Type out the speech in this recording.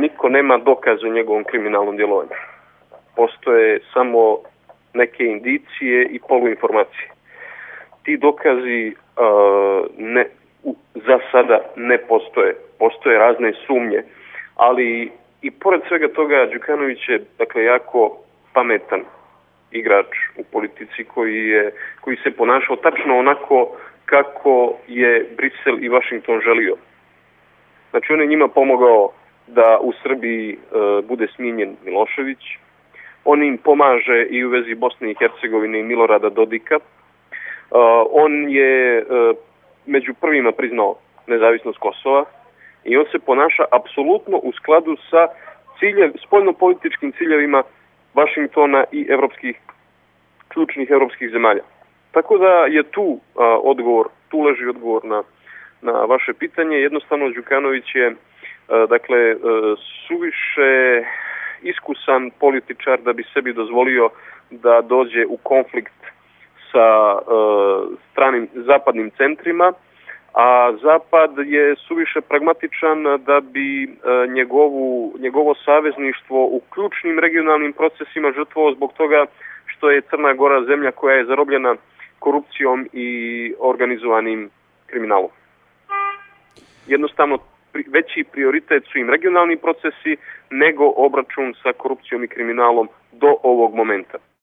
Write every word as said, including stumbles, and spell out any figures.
niko nema dokaza o njegovom kriminalnom djelovanju. Postoje samo neke indicije i poluinformacije. Ti dokazi uh, ne, u, za sada ne postoje. Postoje razne sumnje, ali i pored svega toga Đukanović je dakle jako pametan igrač u politici koji je koji se ponašao tačno onako kako je Brisel i Vašington želio. Znači on je njima pomogao da u Srbiji e, bude smijenjen Milošević. On im pomaže i u vezi Bosne i Hercegovine i Milorada Dodika. E, on je e, među prvima priznao nezavisnost Kosova i on se ponaša apsolutno u skladu sa ciljev, spoljnopolitičkim ciljevima Vašingtona i evropskih, ključnih evropskih zemalja. Tako da je tu a, odgovor, tu leži odgovor na, na vaše pitanje. Jednostavno Đukanović je a, dakle a, suviše iskusan političar da bi sebi dozvolio da dođe u konflikt sa a, stranim zapadnim centrima, a Zapad je suviše pragmatičan da bi a, njegovu, njegovo savezništvo u ključnim regionalnim procesima žrtvovao zbog toga što je Crna Gora zemlja koja je zarobljena korupcijom i organizovanim kriminalom. Jednostavno, veći prioritet su im regionalni procesi nego obračun sa korupcijom i kriminalom do ovog momenta.